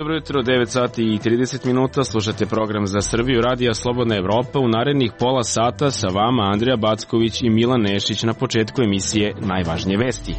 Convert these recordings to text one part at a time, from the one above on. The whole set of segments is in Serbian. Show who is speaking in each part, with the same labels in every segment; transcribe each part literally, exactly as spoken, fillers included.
Speaker 1: Dobro jutro, devet sati i trideset minuta, slušate program za Srbiju, Radija Slobodna Evropa. U narednih pola sata sa vama Andrija Backović i Milan Nešić. Na početku emisije najvažnije vesti.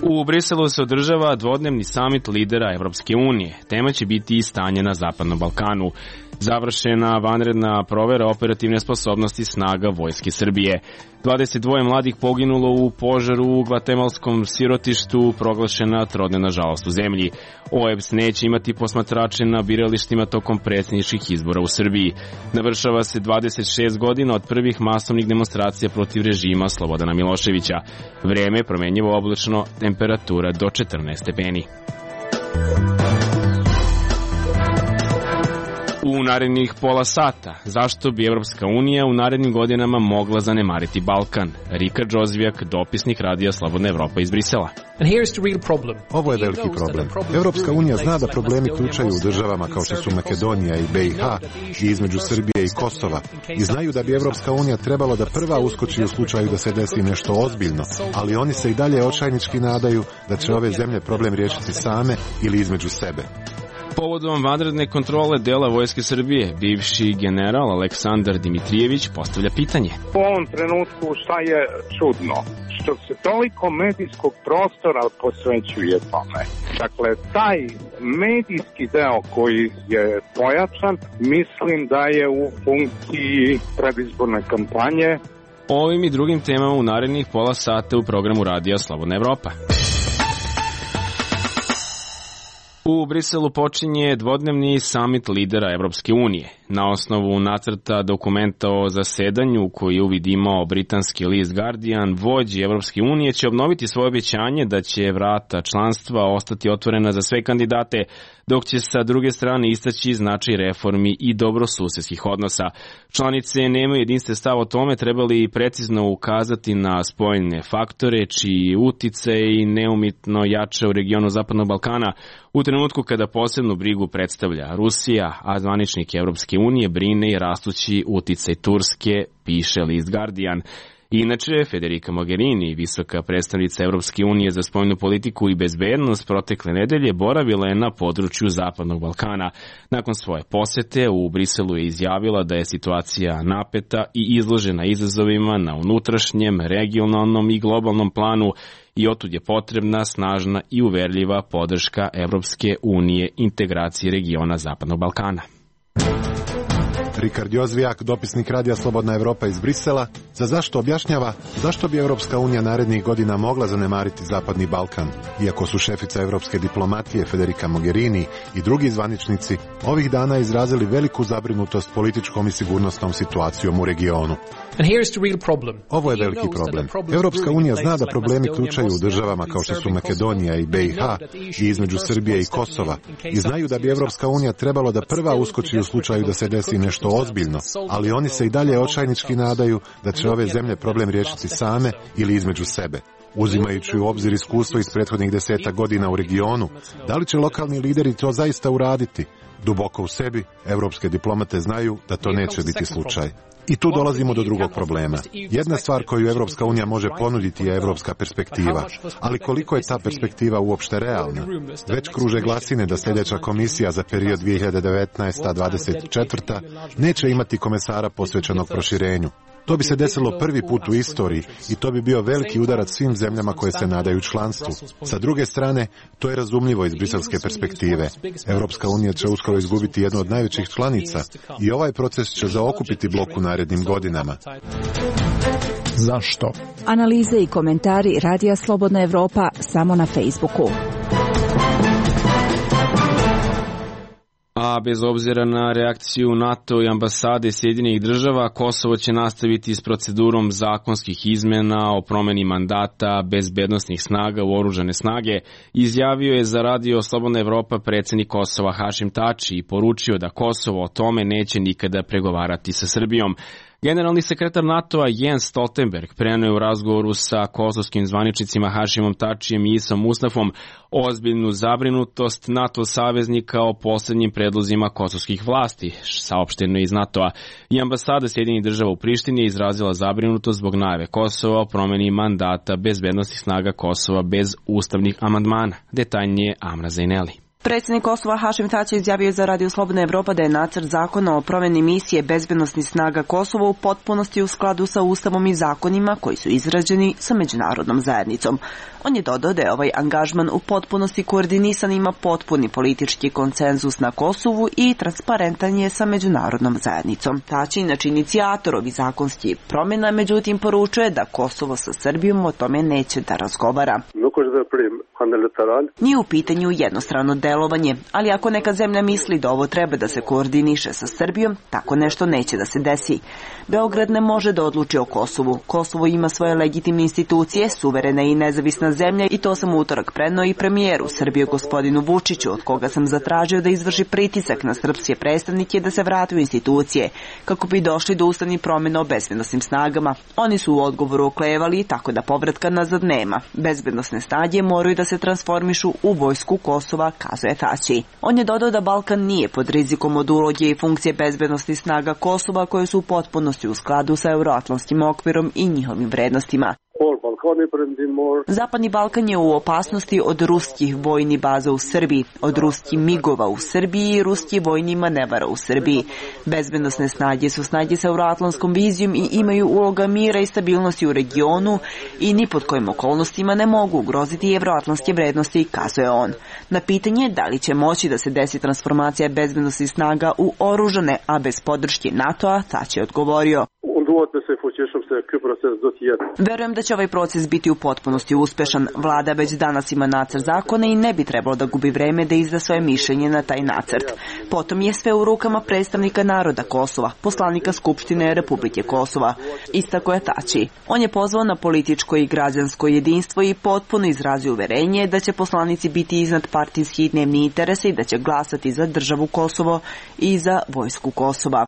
Speaker 1: U Briselu se održava dvodnevni samit lidera Evropske unije. Tema će biti i stanje na Zapadnom Balkanu. Završena vanredna provera operativne sposobnosti snaga Vojske Srbije. dvadeset dva mladih poginulo u požaru u gvatemalskom sirotištu, proglašena trodnevna žalost u zemlji. O E B S neće imati posmatrače na biralištima tokom predsjedničkih izbora u Srbiji. Navršava se dvadeset šest godina od prvih masovnih demonstracija protiv režima Slobodana Miloševića. Vreme promenjivo oblačno, temperatura do četrnaest stepeni. U narednih pola sata, zašto bi Evropska unija u narednim godinama mogla zanemariti Balkan? Rika Džozvijak, dopisnik Radija Slobodna Evropa iz Brisela.
Speaker 2: Ovo je veliki problem. Evropska unija zna da problemi ključaju u državama kao što su Makedonija i B i H i između Srbije i Kosova i znaju da bi Evropska unija trebalo da prva uskoči u slučaju da se desi nešto ozbiljno, ali oni se i dalje očajnički nadaju da će ove zemlje problem riješiti same ili između sebe.
Speaker 1: Povodom vanredne kontrole dela Vojske Srbije, bivši general Aleksandar Dimitrijević postavlja pitanje.
Speaker 3: U ovom trenutku šta je čudno? Što se toliko medijskog prostora posvećuje tome. Dakle, taj medijski deo koji je pojačan, mislim da je u funkciji predizborne kampanje.
Speaker 1: Ovim i drugim temama u narednih pola sata u programu Radija Slobodna Evropa. U Briselu počinje dvodnevni samit lidera Evropske unije. Na osnovu nacrta dokumenta o zasedanju koji je uvid imao britanski list Guardian, vođi Evropske unije će obnoviti svoje obećanje da će vrata članstva ostati otvorena za sve kandidate, dok će sa druge strane istaći značaj reformi i dobrosusedskih odnosa. Članice nemaju jedinstven stav o tome, trebali precizno ukazati na spoljne faktore čiji uticaj neumitno jača u regionu Zapadnog Balkana u trenutku kada posebnu brigu predstavlja Rusija, a zvaničnik Evropske unije brine i rastući uticaj Turske, piše list Guardian. Inače, Federica Mogherini, visoka predstavnica Evropske unije za spoljnu politiku i bezbednost, protekle nedelje boravila je na području Zapadnog Balkana. Nakon svoje posete u Briselu je izjavila da je situacija napeta i izložena izazovima na unutrašnjem, regionalnom i globalnom planu i otud je potrebna snažna i uverljiva podrška Evropske unije integraciji regiona Zapadnog Balkana.
Speaker 2: Rika Džozvijak, dopisnik Radija Slobodna Evropa iz Brisela, za zašto objašnjava zašto bi Evropska unija narednih godina mogla zanemariti Zapadni Balkan, iako su šefica evropske diplomatije Federica Mogherini i drugi zvaničnici ovih dana izrazili veliku zabrinutost političkom i sigurnosnom situacijom u regionu. Ovo je veliki problem. Evropska unija zna da problemi ključaju u državama kao što su Makedonija i B i H i između Srbije i Kosova i znaju da bi Evropska unija trebalo da prva uskoči u slučaju da se desi nešto ozbiljno, ali oni se i dalje očajnički nadaju da će ove zemlje problem riješiti same ili između sebe. Uzimajući u obzir iskustvo iz prethodnih deseta godina u regionu, da li će lokalni lideri to zaista uraditi? Duboko u sebi, evropske diplomate znaju da to neće biti slučaj. I tu dolazimo do drugog problema. Jedna stvar koju Evropska unija može ponuditi je evropska perspektiva. Ali koliko je ta perspektiva uopšte realna? Već kruže glasine da sljedeća komisija za period dvije hiljade devetnaesta do dvadeset četvrta neće imati komesara posvećenog proširenju. To bi se desilo prvi put u istoriji i to bi bio veliki udarac svim zemljama koje se nadaju članstvu. Sa druge strane, to je razumljivo iz briselske perspektive. Evropska unija će uskoro izgubiti jednu od najvećih članica i ovaj proces će zaokupiti blok u narednim godinama.
Speaker 4: Zašto?
Speaker 5: Analize i komentari Radija Slobodna Evropa samo na Facebooku.
Speaker 1: A bez obzira na reakciju NATO i ambasade Sjedinjenih država, Kosovo će nastaviti s procedurom zakonskih izmena o promeni mandata bezbednosnih snaga u oružane snage, izjavio je za Radio Slobodna Evropa predsjednik Kosova Hašim Tači i poručio da Kosovo o tome neće nikada pregovarati sa Srbijom. Generalni sekretar NATO-a Jens Stoltenberg preneo u razgovoru sa kosovskim zvaničnicima Hašimom Tačijem i Isom Mustafom ozbiljnu zabrinutost NATO saveznika o posljednjim predlozima kosovskih vlasti, saopšteno iz NATO-a. I ambasada Sjedinjenih država u Prištini je izrazila zabrinutost zbog najave Kosova o promeni mandata bezbednosnih snaga Kosova bez ustavnih amandmana. Detaljnije Amra Zaineli.
Speaker 4: Predsjednik Kosova Hašim Tači izjavio za Radio Slobodna Evropa da je nacrt zakona o promjeni misije bezbednosnih snaga Kosova u potpunosti u skladu sa Ustavom i zakonima koji su izrađeni sa međunarodnom zajednicom. On je dodao da je ovaj angažman u potpunosti koordinisan, ima potpuni politički konsenzus na Kosovu i transparentan je sa međunarodnom zajednicom. Tači, inače inicijator ovih zakonskih promjena, međutim poručuje da Kosovo sa Srbijom o tome neće da razgovara. Nije u pitanju jednostrano delovanje, ali ako neka zemlja misli da ovo treba da se koordiniše sa Srbijom, tako nešto neće da se desi. Beograd ne može da odluči o Kosovu. Kosovo ima svoje legitimne institucije, suverena i nezavisna zemlja i to sam u utorak preneo i premijeru Srbije gospodinu Vučiću, od koga sam zatražio da izvrši pritisak na srpske predstavnike da se vrate u institucije, kako bi došli do ustavnih promjena o bezbednosnim snagama. Oni su u odgovoru oklevali, tako da povratka nazad nema. Bezbednosne snage moraju da se transformišu u vojsku Kosova, kazuje Tači. On je dodao da Balkan nije pod rizikom od uloge i funkcije bezbednosnih snaga Kosova koje su u potpunosti u skladu sa euroatlantskim okvirom i njihovim vrednostima. Zapadni Balkan je u opasnosti od ruskih vojnih baza u Srbiji, od ruskih migova u Srbiji i ruskih vojnih manevara u Srbiji. Bezbednosne snage su snage sa euroatlantskom vizijom i imaju uloga mira i stabilnosti u regionu i ni pod kojim okolnostima ne mogu ugroziti evroatlantske vrednosti, kazuje on. Na pitanje da li će moći da se desi transformacija bezbednosnih snaga u oružane, a bez podrške NATO-a, Tači je odgovorio: verujem da će ovaj proces biti u potpunosti uspešan. Vlada već danas ima nacrt zakona i ne bi trebalo da gubi vreme da izda svoje mišljenje na taj nacrt. Potom je sve u rukama predstavnika naroda Kosova, poslanika Skupštine Republike Kosova, istako je Tači. On je pozvao na političko i građansko jedinstvo i potpuno izrazio uverenje da će poslanici biti iznad partijskih i dnevnih interesa i da će glasati za državu Kosovo i za vojsku Kosova.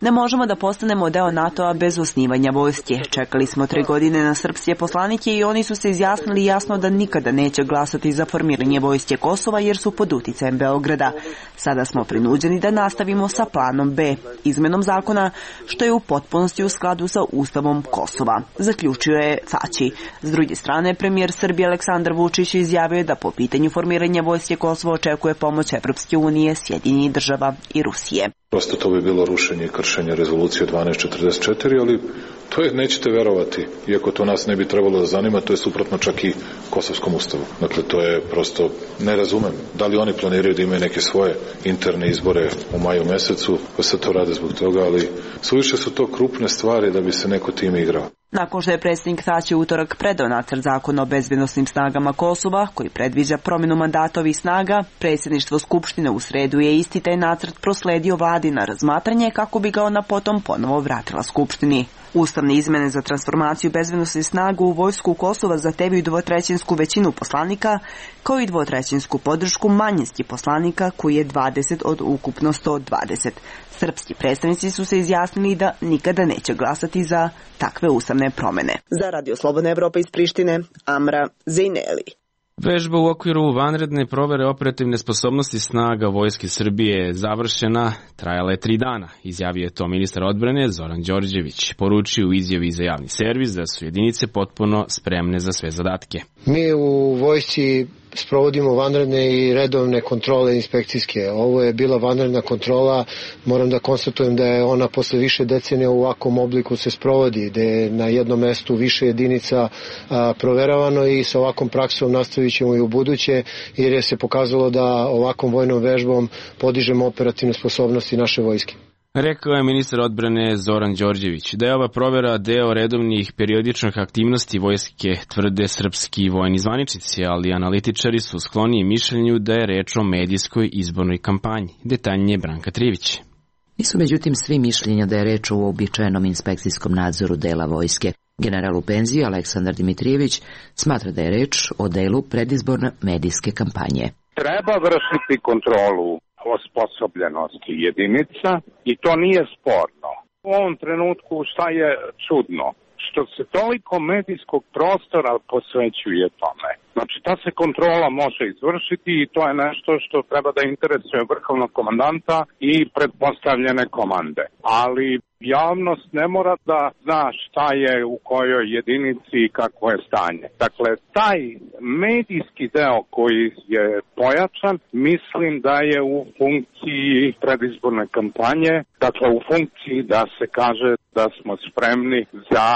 Speaker 4: Ne možemo da postanemo deo NATO-a bez osnivanja vojske. Čekali smo tri godine na srpske poslanike i oni su se izjasnili jasno da nikada neće glasati za formiranje vojske Kosova jer su pod uticajem Beograda. Sada smo prinuđeni da nastavimo sa planom B, izmenom zakona, što je u potpunosti u skladu sa Ustavom Kosova, zaključio je Tači. S druge strane, premijer Srbije Aleksandar Vučić izjavio je da po pitanju formiranja vojske Kosova očekuje pomoć Evropske unije, Sjedinjenih država i Rusije.
Speaker 6: Prosto to bi bilo rušenje i kršenje rezolucije dvanaest četrdeset četiri, ali to je, nećete verovati, iako to nas ne bi trebalo da zanima, to je suprotno čak i Kosovskom ustavu. Dakle, to je prosto, ne razumem. Da li oni planiraju da imaju neke svoje interne izbore u maju mesecu, pa se to rade zbog toga, ali suviše su to krupne stvari da bi se neko time igrao.
Speaker 4: Nakon što je predsjednik Tači utorak predao nacrt zakona o bezbednosnim snagama Kosova, koji predviđa promjenu mandata ovih snaga, predsjedništvo Skupštine u sredu je isti taj nacrt prosledio vladi na razmatranje kako bi ga ona potom ponovo vratila Skupštini. Ustavne izmene za transformaciju bezbednosnih snaga u vojsku Kosova zahtevaju dvotrećinsku većinu poslanika, kao i dvotrećinsku podršku manjinskih poslanika, koji je dvadeset od ukupno sto dvadeset. Srpski predstavnici su se izjasnili da nikada neće glasati za takve ustavne promjene. Za Radio Slobodna Evropa iz Prištine, Amra Zejneli.
Speaker 1: Vežba u okviru vanredne provere operativne sposobnosti snaga Vojske Srbije je završena, trajala je tri dana, izjavio je to ministar odbrane Zoran Đorđević. Poručio u izjavi za javni servis da su jedinice potpuno spremne za sve zadatke.
Speaker 7: Mi u vojsci sprovodimo vanredne i redovne kontrole inspekcijske. Ovo je bila vanredna kontrola, moram da konstatujem da je ona posle više decenija u ovakvom obliku se sprovodi, gde je na jednom mestu više jedinica a, proveravano i sa ovakvom praksom nastavit ćemo i u buduće, jer je se pokazalo da ovakvom vojnom vežbom podižemo operativne sposobnosti naše vojske.
Speaker 1: Rekao je ministar odbrane Zoran Đorđević da je ova provera deo redovnih periodičnih aktivnosti vojske, tvrde srpski vojni zvaničnici, ali analitičari su skloniji mišljenju da je reč o medijskoj izbornoj kampanji. Detaljnije Branka Trivić.
Speaker 8: Nisu međutim svi mišljenja da je reč o uobičajenom inspekcijskom nadzoru dela vojske. General u penziji Aleksandar Dimitrijević smatra da je reč o delu predizborne medijske kampanje.
Speaker 3: Treba vršiti kontrolu osposobljenosti jedinica i to nije sporno. U ovom trenutku šta je čudno? Što se toliko medijskog prostora posvećuje tome. Znači ta se kontrola može izvršiti i to je nešto što treba da interesuje vrhovnog komandanta i pretpostavljene komande. Ali javnost ne mora da zna šta je u kojoj jedinici i kakvo je stanje. Dakle, taj medijski deo koji je pojačan, mislim da je u funkciji predizborne kampanje, dakle u funkciji da se kaže da smo spremni za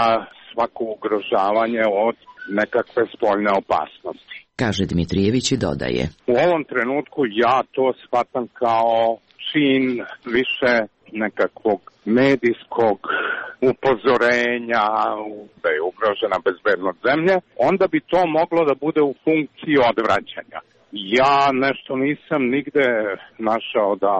Speaker 3: svako ugrožavanje od nekakve spoljne opasnosti.
Speaker 8: Kaže Dmitrijević i dodaje.
Speaker 3: U ovom trenutku ja to shvatam kao čin više nekakvog medijskog upozorenja da je ugrožena bezbednost zemlje, onda bi to moglo da bude u funkciji odvraćanja. Ja nešto nisam nigde našao da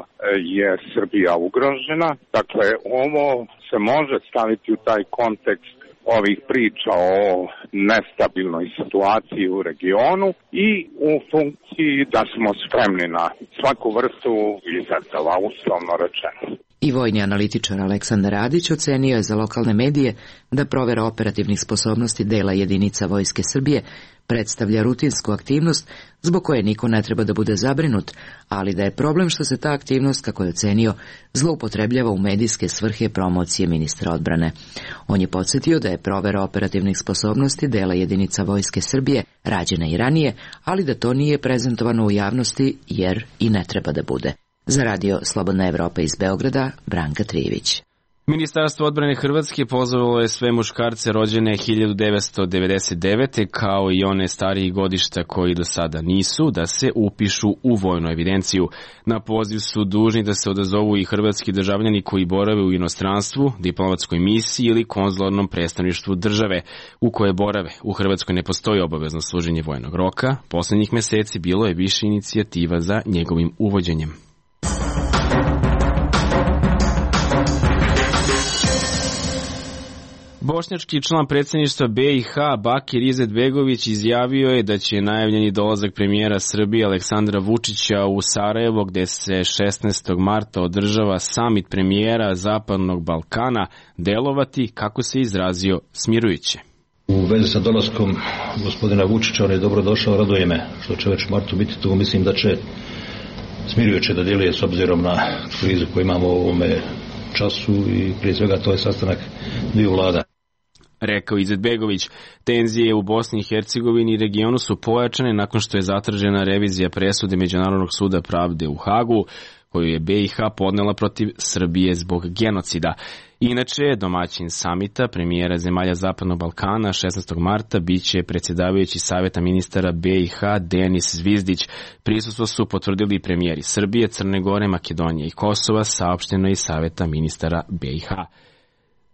Speaker 3: je Srbija ugrožena, dakle ovo se može staviti u taj kontekst ovih priča o nestabilnoj situaciji u regionu i u funkciji da smo spremni na svaku vrstu izazova, uslovno rečeno.
Speaker 8: I vojni analitičar Aleksandar Radić ocenio je za lokalne medije da provera operativnih sposobnosti dela jedinica Vojske Srbije predstavlja rutinsku aktivnost zbog koje niko ne treba da bude zabrinut, ali da je problem što se ta aktivnost, kako je ocenio, zloupotrebljava u medijske svrhe promocije ministra odbrane. On je podsjetio da je provera operativnih sposobnosti dela jedinica Vojske Srbije rađena i ranije, ali da to nije prezentovano u javnosti jer i ne treba da bude. Za radio Slobodna Evropa iz Beograda, Branka Trijević.
Speaker 1: Ministarstvo odbrane Hrvatske pozvalo je sve muškarce rođene hiljadu devetsto devedeset devete kao i one starijih godišta koji do sada nisu da se upišu u vojnu evidenciju. Na poziv su dužni da se odazovu i hrvatski državljani koji borave u inostranstvu, diplomatskoj misiji ili konzularnom predstavništvu države u koje borave. U Hrvatskoj ne postoji obavezno služenje vojnog roka. Poslednjih meseci bilo je više inicijativa za njegovim uvođenjem. Bošnjački član predsjedništva B i H Bakir Izetbegović izjavio je da će najavljeni dolazak premijera Srbije Aleksandra Vučića u Sarajevo, gde se šesnaestog marta održava samit premijera Zapadnog Balkana, delovati, kako se izrazio, smirujuće.
Speaker 9: U vezi sa dolaskom gospodina Vučića, on je dobro došao, raduje me što će već u martu biti tu, mislim da će smirujuće da djeluje s obzirom na krizu koju imamo u ovome času i prije svega to je sastanak dviju vlada.
Speaker 1: Rekao Izetbegović, tenzije u Bosni i Hercegovini i regionu su pojačane nakon što je zatražena revizija presude Međunarodnog suda pravde u Hagu, koju je B i H podnela protiv Srbije zbog genocida. Inače, domaćin samita premijera zemalja Zapadnog Balkana šesnaestog marta biće predsjedavajući Saveta ministara B i H Denis Zvizdić. Prisustvo su potvrdili premijeri Srbije, Crne Gore, Makedonije i Kosova, saopšteno iz Saveta ministara B i H.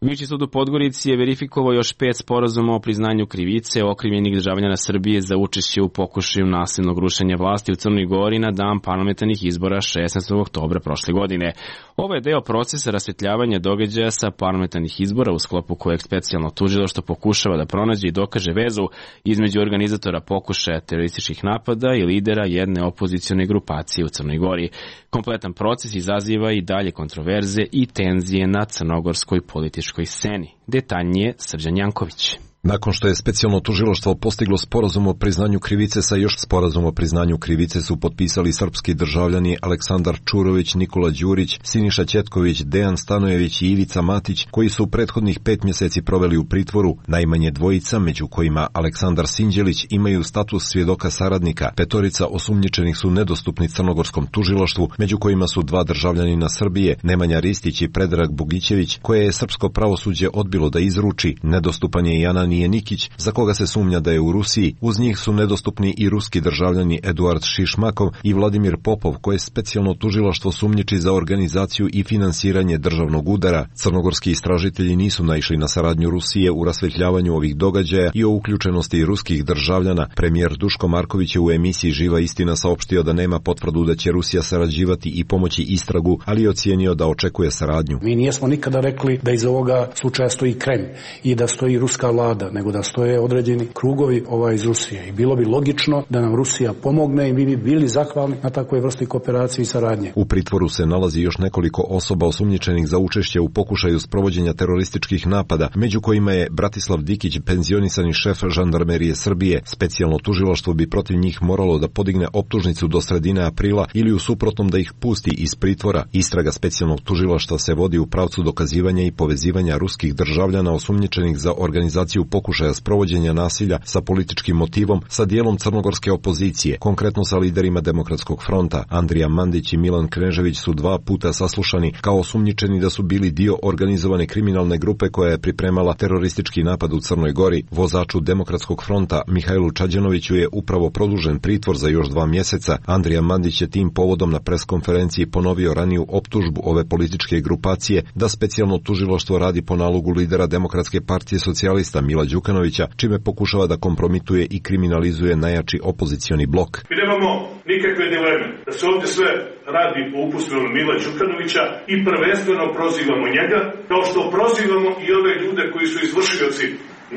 Speaker 1: Viši sud u Podgorici je verifikovao još pet sporazuma o priznanju krivice okrivljenih državljana Srbije za učešće u pokušaju nasilnog rušenja vlasti u Crnoj Gori na dan parlamentarnih izbora šesnaestog oktobra prošle godine. Ovo je deo procesa rasvetljavanja događaja sa parlamentarnih izbora u sklopu kojeg specijalno tužilaštvo pokušava da pronađe i dokaže vezu između organizatora pokušaja terorističkih napada i lidera jedne opozicione grupacije u Crnoj Gori. Kompletan proces izaziva i dalje kontroverze i tenzije na crnogorskoj političkoj sceni. Detaljnije Srđan Janković.
Speaker 10: Nakon što je specijalno tužilaštvo postiglo sporazum o priznanju krivice, sa još sporazum o priznanju krivice su potpisali srpski državljani Aleksandar Čurović, Nikola Đurić, Siniša Ćetković, Dejan Stanojević i Ivica Matić, koji su prethodnih pet mjeseci proveli u pritvoru. Najmanje dvojica, među kojima Aleksandar Sinđelić, imaju status svjedoka saradnika. Petorica osumnjičenih su nedostupni crnogorskom tužilaštvu, među kojima su dva državljanina Srbije, Nemanja Ristić i Predrag Bugićević, koje je srpsko pravosuđe odbilo da izruči. Nedostupan je i Anan Nikić, za koga se sumnja da je u Rusiji. Uz njih su nedostupni i ruski državljani Eduard Šišmakov i Vladimir Popov, koje specijalno tužilaštvo sumnjiči za organizaciju i finansiranje državnog udara. Crnogorski istražitelji nisu naišli na saradnju Rusije u rasvetljavanju ovih događaja i o uključenosti ruskih državljana. Premijer Duško Marković je u emisiji Živa istina saopštio da nema potvrdu da će Rusija sarađivati i pomoći istragu, ali je ocijenio da očekuje saradnju.
Speaker 11: Mi nijesmo nikada rekli da iz ovoga slučaja stoji Kreml i da stoji ruska vlada. napada, nego da stoje određeni krugovi ovaj iz Rusije. I bilo bi logično da nam Rusija pomogne i mi bi bili zahvalni na takvoj vrsti kooperacije i saradnje.
Speaker 10: U pritvoru se nalazi još nekoliko osoba osumnjičenih za učešće u pokušaju sprovođenja terorističkih napada, među kojima je Bratislav Dikić, penzionisani šef žandarmerije Srbije. Specijalno tužilaštvo bi protiv njih moralo da podigne optužnicu do sredine aprila ili u suprotnom da ih pusti iz pritvora. Istraga specijalnog tužilaštva se vodi u pravcu dokazivanja i povezivanja ruskih državljana osumnjičenih za organizaciju pokušaja sprovođenja nasilja sa političkim motivom sa dijelom crnogorske opozicije, konkretno sa liderima Demokratskog fronta. Andrija Mandić i Milan Knežević su dva puta saslušani kao osumnjičeni da su bili dio organizovane kriminalne grupe koja je pripremala teroristički napad u Crnoj Gori. Vozaču Demokratskog fronta Mihajlu Čađanoviću je upravo produžen pritvor za još dva mjeseca. Andrija Mandić je tim povodom na preskonferenciji ponovio raniju optužbu ove političke grupacije da specijalno tužilaštvo radi po nalogu lidera Demokratske partije socijalista Mila Đukanovića, čime pokušava da kompromituje i kriminalizuje najjači opozicioni blok.
Speaker 12: Mi nemamo nikakve dileme da se ovdje sve radi po uputstvu Mila Đukanovića i prvenstveno prozivamo njega, kao što prozivamo i ove ljude koji su izvršioci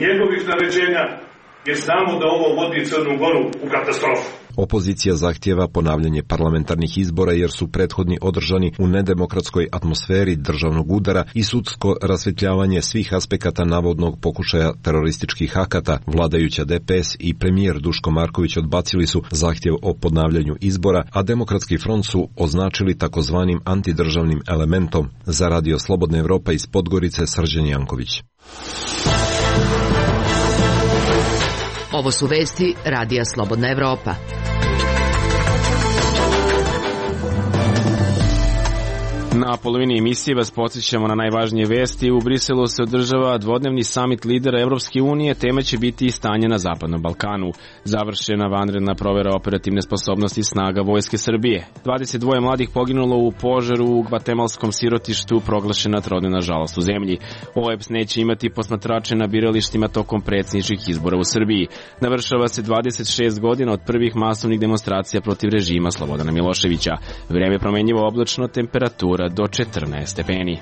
Speaker 12: njegovih naređenja, jer znamo da ovo vodi Crnu Goru u katastrofu.
Speaker 10: Opozicija zahtijeva ponavljanje parlamentarnih izbora jer su prethodni održani u nedemokratskoj atmosferi državnog udara i sudsko rasvetljavanje svih aspekata navodnog pokušaja terorističkih akata. Vladajuća D P S i premijer Duško Marković odbacili su zahtjev o ponavljanju izbora, a Demokratski front su označili takozvanim antidržavnim elementom. Za Radio Slobodna Evropa iz Podgorice, Srđan Janković.
Speaker 8: Ovo su vesti Radija Slobodna Evropa.
Speaker 1: Na polovini emisije vas podsjećamo na najvažnije vesti. U Briselu se održava dvodnevni samit lidera Evropske unije. Tema će biti i stanje na Zapadnom Balkanu. Završena vanredna provera operativne sposobnosti snaga Vojske Srbije. dvadeset dva mladih poginulo u požaru u gvatemalskom sirotištu, proglašena trodnevna žalost u zemlji. O E B S neće imati posmatrače na biralištima tokom predsjedničkih izbora u Srbiji. Navršava se dvadeset šest godina od prvih masovnih demonstracija protiv režima Slobodana Miloševića. Vreme promenjivo oblačno, temperatura do četrnaest stepeni.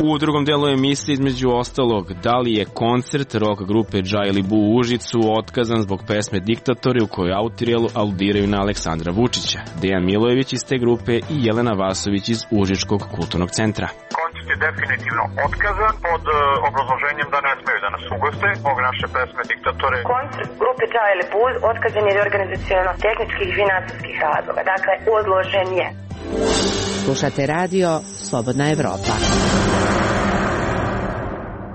Speaker 1: U drugom delu emisije između ostalog, da li je koncert rock grupe Džajli Bu u Užicu otkazan zbog pesme Diktatori u kojoj autori aludiraju na Aleksandra Vučića. Dejan Milojević iz te grupe i Jelena Vasović iz Užičkog kulturnog centra.
Speaker 13: Koncert je definitivno otkazan pod uh, obrazloženjem da ne smeju da nas ugoste zbog naše pesme Diktatore.
Speaker 14: Koncert grupe Džajli Bu otkazan je iz organizaciono-tehničkih i finansijskih razloga. Dakle, odložen je.
Speaker 8: Slušate radio Slobodna Evropa.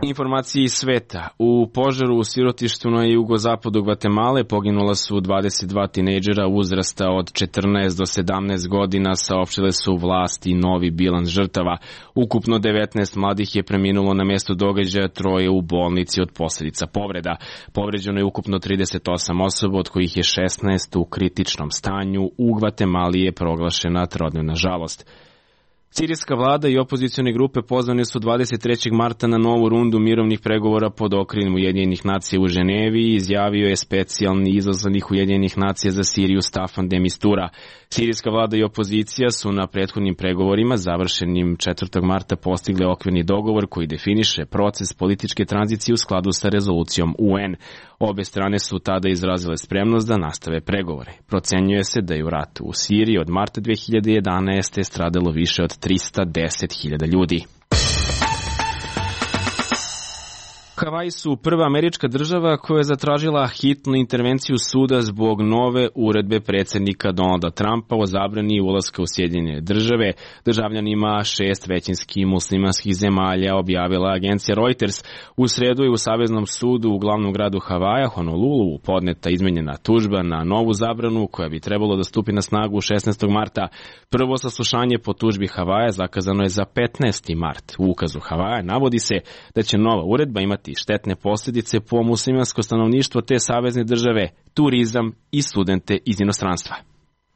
Speaker 1: Informacije iz sveta. U požaru u sirotištu na jugozapadu Gvatemale poginula su dvadeset dva tinejdžera uzrasta od četrnaest do sedamnaest godina, saopštile su vlasti novi bilans žrtava. Ukupno devetnaest mladih je preminulo na mjestu događaja, troje u bolnici od posljedica povreda. Povređeno je ukupno trideset osam osoba, od kojih je šesnaest u kritičnom stanju. U Gvatemali je proglašena trodnevna žalost. Sirijska vlada i opozicione grupe pozvane su dvadeset trećeg marta na novu rundu mirovnih pregovora pod okriljem Ujedinjenih nacija u Ženevi, izjavio je specijalni izaslanik Ujedinjenih nacija za Siriju Staffan de Mistura. Sirijska vlada i opozicija su na prethodnim pregovorima završenim četvrtog marta postigli okvirni dogovor koji definiše proces političke tranzicije u skladu sa rezolucijom U N. Obe strane su tada izrazile spremnost da nastave pregovore. Procenjuje se da je u ratu u Siriji od marta dve hiljade jedanaeste. stradalo više od trista deset hiljada ljudi. Havaji su prva američka država koja je zatražila hitnu intervenciju suda zbog nove uredbe predsjednika Donalda Trumpa o zabrani ulaska u Sjedinjene države državljanima šest većinskih muslimanskih zemalja, objavila agencija Reuters. U sredu je u Saveznom sudu u glavnom gradu Havaja, Honolulu, podneta izmenjena tužba na novu zabranu koja bi trebalo da stupi na snagu šesnaestog marta. Prvo saslušanje po tužbi Havaja zakazano je za petnaesti mart. U ukazu Havaja navodi se da će nova uredba imati štetne posljedice po muslimansko stanovništvo te savezne države, turizam i studente iz inostranstva.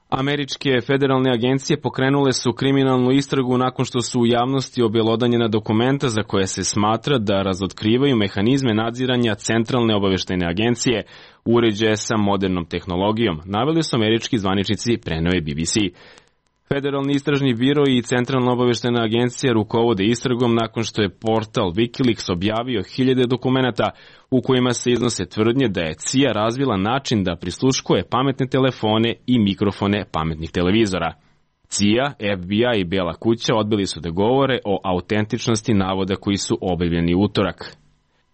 Speaker 1: Američke federalne agencije pokrenule su kriminalnu istragu nakon što su u javnosti objelodanjena dokumenta za koje se smatra da razotkrivaju mehanizme nadziranja centralne obavještajne agencije, uređaje sa modernom tehnologijom, naveli su američki zvaničnici, preneo je B B C. Federalni istražni biro i Centralna obaveštajna agencija rukovode istragom nakon što je portal Wikileaks objavio hiljade dokumenata u kojima se iznose tvrdnje da je C I A razvila način da prisluškuje pametne telefone i mikrofone pametnih televizora. C I A, F B I i Bela kuća odbili su da govore o autentičnosti navoda koji su objavljeni utorak.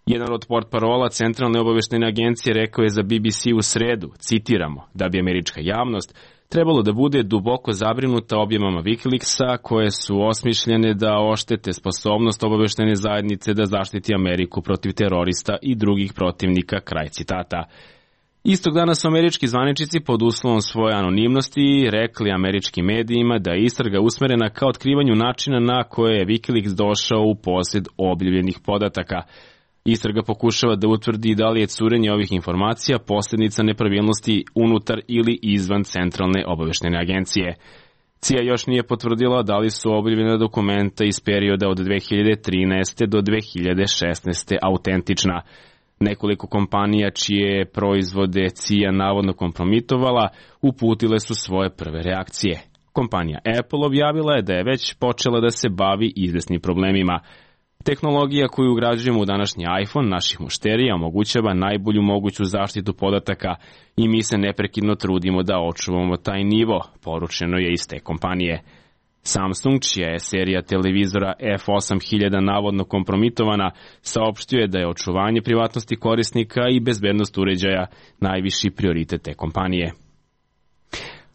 Speaker 1: Jedan od portparola Centralne obaveštajne agencije rekao je za B B C u sredu, citiramo, da bi američka javnost trebalo da bude duboko zabrinuta objavama Wikileaksa koje su osmišljene da oštete sposobnost obaveštajne zajednice da zaštiti Ameriku protiv terorista i drugih protivnika, kraj citata. Istog dana su američki zvaničnici pod uslovom svoje anonimnosti rekli američkim medijima da je istraga usmerena ka otkrivanju načina na koje je Wikileaks došao u posjed objavljenih podataka. Istraga pokušava da utvrdi da li je curenje ovih informacija posljedica nepravilnosti unutar ili izvan Centralne obaveštajne agencije. C I A još nije potvrdila da li su objavljena dokumenta iz perioda od dve hiljade trinaeste do dve hiljade šesnaeste autentična. Nekoliko kompanija čije proizvode C I A navodno kompromitovala uputile su svoje prve reakcije. Kompanija Apple objavila je da je već počela da se bavi izvesnim problemima. Tehnologija koju ugrađujemo u današnji iPhone naših mušterija omogućava najbolju moguću zaštitu podataka i mi se neprekidno trudimo da očuvamo taj nivo, poručeno je iz te kompanije. Samsung, čija je serija televizora F osam hiljada navodno kompromitovana, saopštio je da je očuvanje privatnosti korisnika i bezbednost uređaja najviši prioritet te kompanije.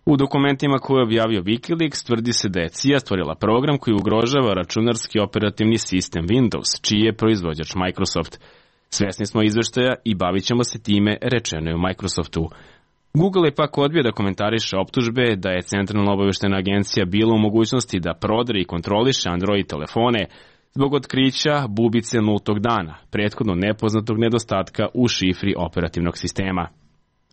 Speaker 1: U dokumentima koje je objavio Wikileaks tvrdi se da je C I A stvorila program koji ugrožava računarski operativni sistem Windows, čiji je proizvođač Microsoft. Svesni smo izveštaja i bavit ćemo se time, rečeno je u Microsoftu. Google je pak odbio da komentariše optužbe da je Centralna obaveštajna agencija bila u mogućnosti da prodre i kontroliše Android telefone zbog otkrića bubice nultog dana, prethodno nepoznatog nedostatka u šifri operativnog sistema.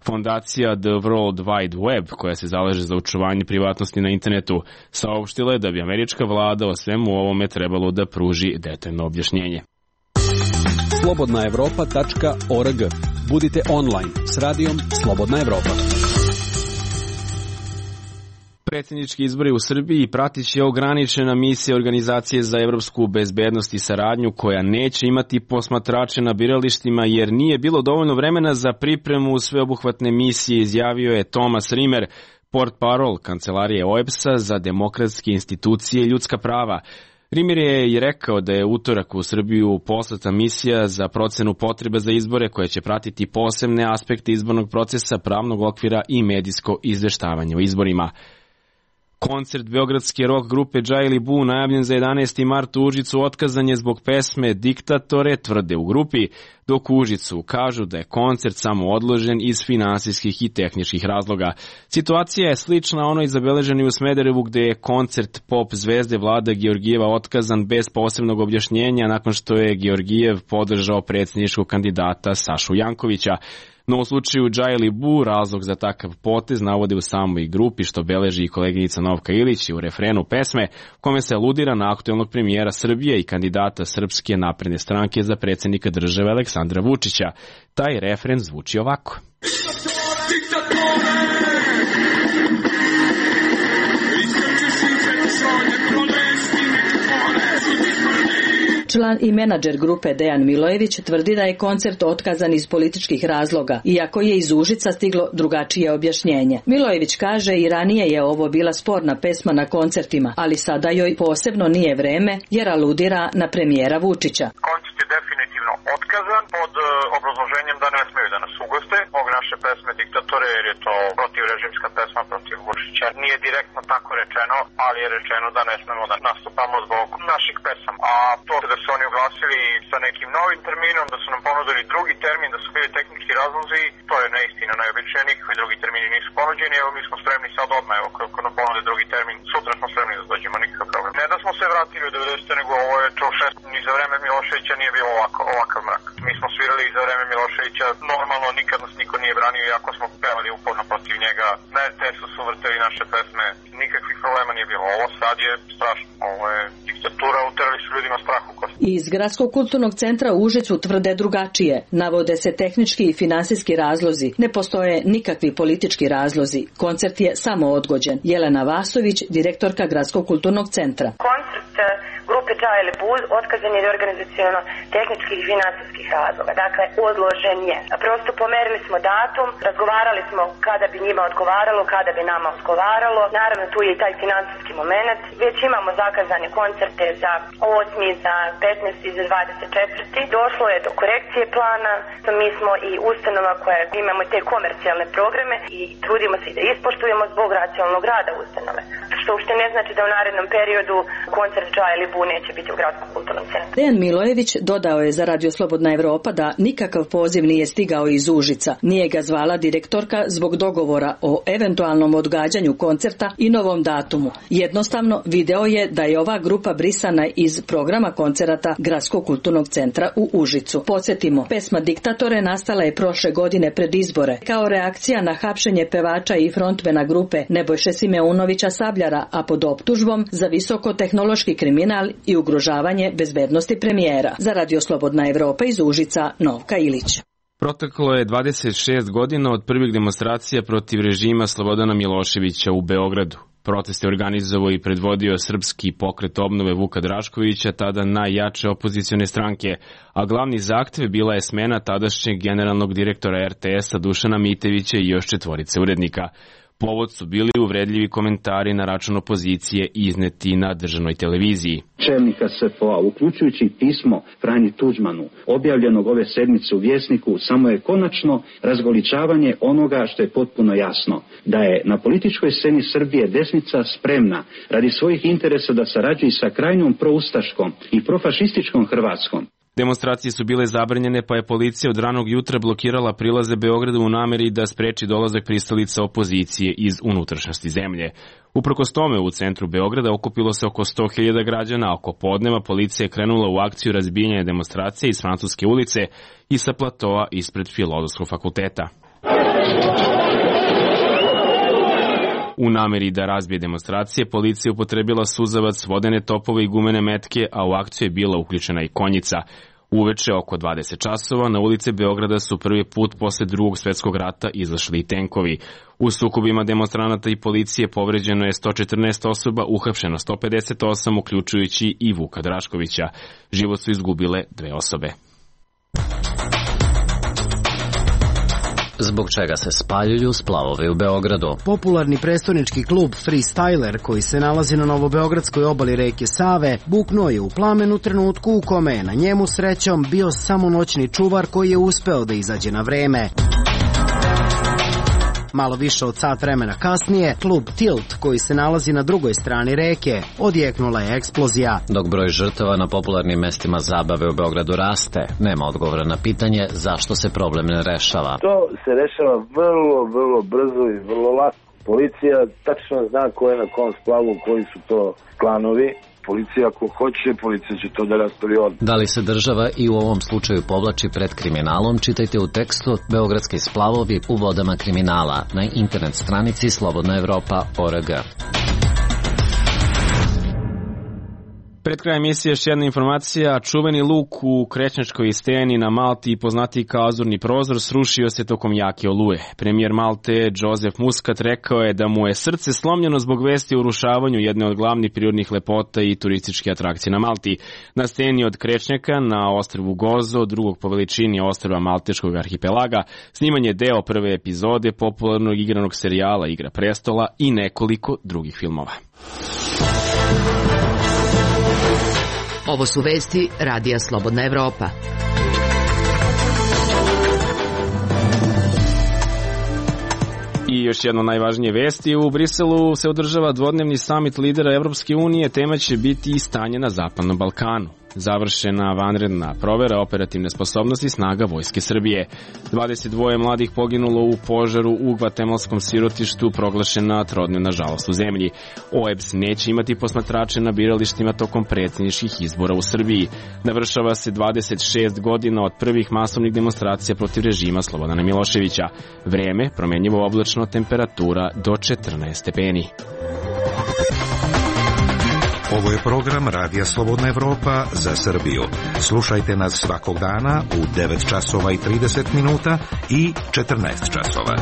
Speaker 1: Fondacija The World Wide Web, koja se zalaže za očuvanje privatnosti na internetu, saopštila je da bi američka vlada o svemu ovome trebalo da pruži detaljno objašnjenje.
Speaker 15: slobodna evropa tačka org. Budite online s radijom Slobodna Evropa.
Speaker 1: Predsjednički izbori u Srbiji pratit će ograničena misija Organizacije za evropsku bezbednost i saradnju koja neće imati posmatrače na biralištima jer nije bilo dovoljno vremena za pripremu sveobuhvatne misije, izjavio je Thomas Rimer, portparol Kancelarije O E B S-a za demokratske institucije i ljudska prava. Rimer je i rekao da je utorak u Srbiju poslata misija za procenu potrebe za izbore koja će pratiti posebne aspekte izbornog procesa, pravnog okvira i medijsko izveštavanje o izborima. Koncert beogradske rock grupe Džajli Bu najavljen za jedanaesti mart u Užicu otkazan je zbog pesme Diktatore, tvrde u grupi, dok u Užicu kažu da je koncert samo odložen iz finansijskih i tehničkih razloga. Situacija je slična onoj zabeleženi u Smederevu gde je koncert pop zvezde Vlada Georgijeva otkazan bez posebnog objašnjenja nakon što je Georgijev podržao predsjedničkog kandidata Sašu Jankovića. No u slučaju Džajli Bu razlog za takav potez navode u samoj grupi što beleži i koleginica Novka Ilić u refrenu pesme kome se aludira na aktuelnog premijera Srbije i kandidata Srpske napredne stranke za predsjednika države Aleksandra Vučića. Taj refren zvuči ovako.
Speaker 16: Član i menadžer grupe Dejan Milojević tvrdi da je koncert otkazan iz političkih razloga, iako je iz Užica stiglo drugačije objašnjenje. Milojević kaže i ranije je ovo bila sporna pesma na koncertima, ali sada joj posebno nije vreme jer aludira na premijera Vučića.
Speaker 13: Koncert je definitivno otkazan pod uh, obrazloženjem da ne smeju da nas ugoste zbog naše pesme Diktatore, jer je to protivrežimska pesma protiv Vučića. Nije direktno tako rečeno, ali je rečeno da ne smemo da nastupamo zbog naših pesama. A to da su oni oglasili sa nekim novim terminom, da su nam ponudili drugi termin, da su bili tehnički razlozi, to je neistina, najobičnije, nikakvi drugi termini nisu ponuđeni, evo mi smo spremni sad odmah, evo kako nam ponude drugi termin, sutra smo spremni da dođemo, nikakav problem. Ne da smo se vratili u devedesete, nego ovo je to šest, ni za vreme Miloševića nije bilo ovako, ovakav mrak. Mi smo svirali i za vreme Miloševića, normalno nikad nas niko nije branio, iako smo pevali uporno protiv njega, na R T S-u su vrteli naše pesme, nikakvih problema nije bilo. Ovo sad je strašno, ovo je diktatura, uterali su ljudima strah u kost.
Speaker 16: Iz Gradskog kulturnog centra u Užicu tvrde drugačije. Navode se tehnički i finansijski razlozi. Ne postoje nikakvi politički razlozi. Koncert je samo odgođen. Jelena Vasović, direktorka Gradskog kulturnog centra.
Speaker 14: Koncert grupe Dža ili Buz otkazan je organizaciono-tehničkih i financijskih razloga. Dakle, odložen je. Prosto pomerili smo datum, razgovarali smo kada bi njima odgovaralo, kada bi nama odgovaralo. Naravno, tu je i taj financijski moment. Već imamo zakazane koncerte za osmi, za petnaesti i za dvadeset četvrti Došlo je do korekcije plana. Mi smo i ustanova koja imamo te komercijalne programe i trudimo se i da ispoštujemo zbog racionalnog rada ustanove. Što uopšte ne znači da u narednom periodu koncert Dža ili Bu neće biti u Gradskom kulturnom centru.
Speaker 16: Dejan Milojević dodao je za Radio Slobodna Evropa da nikakav poziv nije stigao iz Užica. Nije ga zvala direktorka zbog dogovora o eventualnom odgađanju koncerta i novom datumu. Jednostavno video je da je ova grupa brisana iz programa koncerata Gradskog kulturnog centra u Užicu. Podsjetimo, pesma Diktatore nastala je prošle godine pred izbore kao reakcija na hapšenje pevača i frontmena grupe Nebojše Simeunovića Sabljara, a pod optužbom za visokotehnološki kriminal i ugrožavanje bezbednosti premijera. Za Radio Slobodna Evropa iz Užica, Novka Ilić.
Speaker 1: Proteklo je dvadeset šest godina od prvih demonstracija protiv režima Slobodana Miloševića u Beogradu. Protest je organizovao i predvodio srpski pokret obnove Vuka Draškovića, tada najjače opozicione stranke, a glavni zahtev bila je smena tadašnjeg generalnog direktora er te esa Dušana Mitevića i još četvorice urednika. Povod su bili uvredljivi komentari na račun opozicije izneti na državnoj televiziji.
Speaker 17: Čelnika es ef o a, uključujući pismo Franji Tuđmanu, objavljenog ove sedmice u Vjesniku, samo je konačno razgoličavanje onoga što je potpuno jasno, da je na političkoj sceni Srbije desnica spremna radi svojih interesa da sarađuje sa krajnjom proustaškom i profašističkom Hrvatskom.
Speaker 1: Demonstracije su bile zabranjene, pa je policija od ranog jutra blokirala prilaze Beogradu u nameri da spreči dolazak pristalica opozicije iz unutrašnjosti zemlje. Uprkos tome, u centru Beograda okupilo se oko sto hiljada građana, a oko podneva policija je krenula u akciju razbijanja demonstracije iz Francuske ulice i sa platoa ispred Filozofskog fakulteta. U nameri da razbije demonstracije, policija upotrebila suzavac, vodene topove i gumene metke, a u akciju je bila uključena i konjica. Uveče oko dvadeset časova na ulice Beograda su prvi put posle drugog svetskog rata izašli i tenkovi. U sukobima demonstranata i policije povređeno je sto četrnaest osoba, uhapšeno sto pedeset osam, uključujući i Vuka Draškovića. Život su izgubile dve osobe.
Speaker 18: Zbog čega se spaljuju splavovi u Beogradu.
Speaker 19: Popularni prestonički klub Freestyler, koji se nalazi na novobeogradskoj obali reke Save, buknuo je u plamen u trenutku u kome je na njemu srećom bio samo noćni čuvar koji je uspeo da izađe na vreme. Malo više od sat vremena kasnije, klub Tilt, koji se nalazi na drugoj strani reke, odjeknula je eksplozija.
Speaker 18: Dok broj žrtava na popularnim mestima zabave u Beogradu raste, nema odgovora na pitanje zašto se problem ne rešava.
Speaker 20: To se rešava vrlo, vrlo brzo i vrlo lako. Policija tačno zna ko je na kom splavu, koji su to klanovi. Policija ako hoće, policija će to da raspravi odmah.
Speaker 18: Da li se država i u ovom slučaju povlači pred kriminalom, čitajte u tekstu Beogradski splavovi u vodama kriminala na internet stranici slobodna evropa tačka org.
Speaker 1: Pred krajem emisije još jedna informacija. Čuveni luk u Krećnjačkoj steni na Malti, poznatiji kao Azurni prozor, srušio se tokom jake oluje. Premijer Malte, Joseph Muscat, rekao je da mu je srce slomljeno zbog vesti o urušavanju jedne od glavnih prirodnih lepota i turističke atrakcije na Malti. Na steni od Krećnjaka, na ostrvu Gozo, drugog po veličini ostrva Malteškog arhipelaga, sniman je deo prve epizode popularnog igranog serijala Igra prestola i nekoliko drugih filmova.
Speaker 8: Ovo su vesti Radija Slobodna Evropa.
Speaker 1: I još jedno najvažnije vesti, u Briselu se održava dvodnevni samit lidera Evropske unije, tema će biti i stanje na Zapadnom Balkanu. Završena vanredna provera operativne sposobnosti snaga Vojske Srbije. dvadeset dva mladih poginulo u požaru u gvatemalskom sirotištu, proglašena trodnevna žalost u zemlji. O E B S neće imati posmatrače na biralištima tokom predsjedničkih izbora u Srbiji. Navršava se dvadeset šest godina od prvih masovnih demonstracija protiv režima Slobodana Miloševića. Vreme, promenljivo oblačno, temperatura do četrnaest stepeni.
Speaker 21: Ovo je program Radija Slobodna Evropa za Srbiju. Slušajte nas svakog dana u devet časova i trideset minuta i četrnaest časova.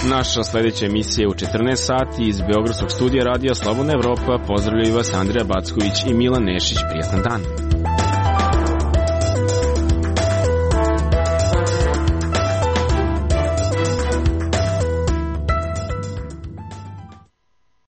Speaker 1: Naša sledeća emisija je u četrnaest sati iz Beogradskog studija Radija Slobodna Evropa. Pozdravljaju vas Andreja Backović i Milan Nešić. Prijatan dan.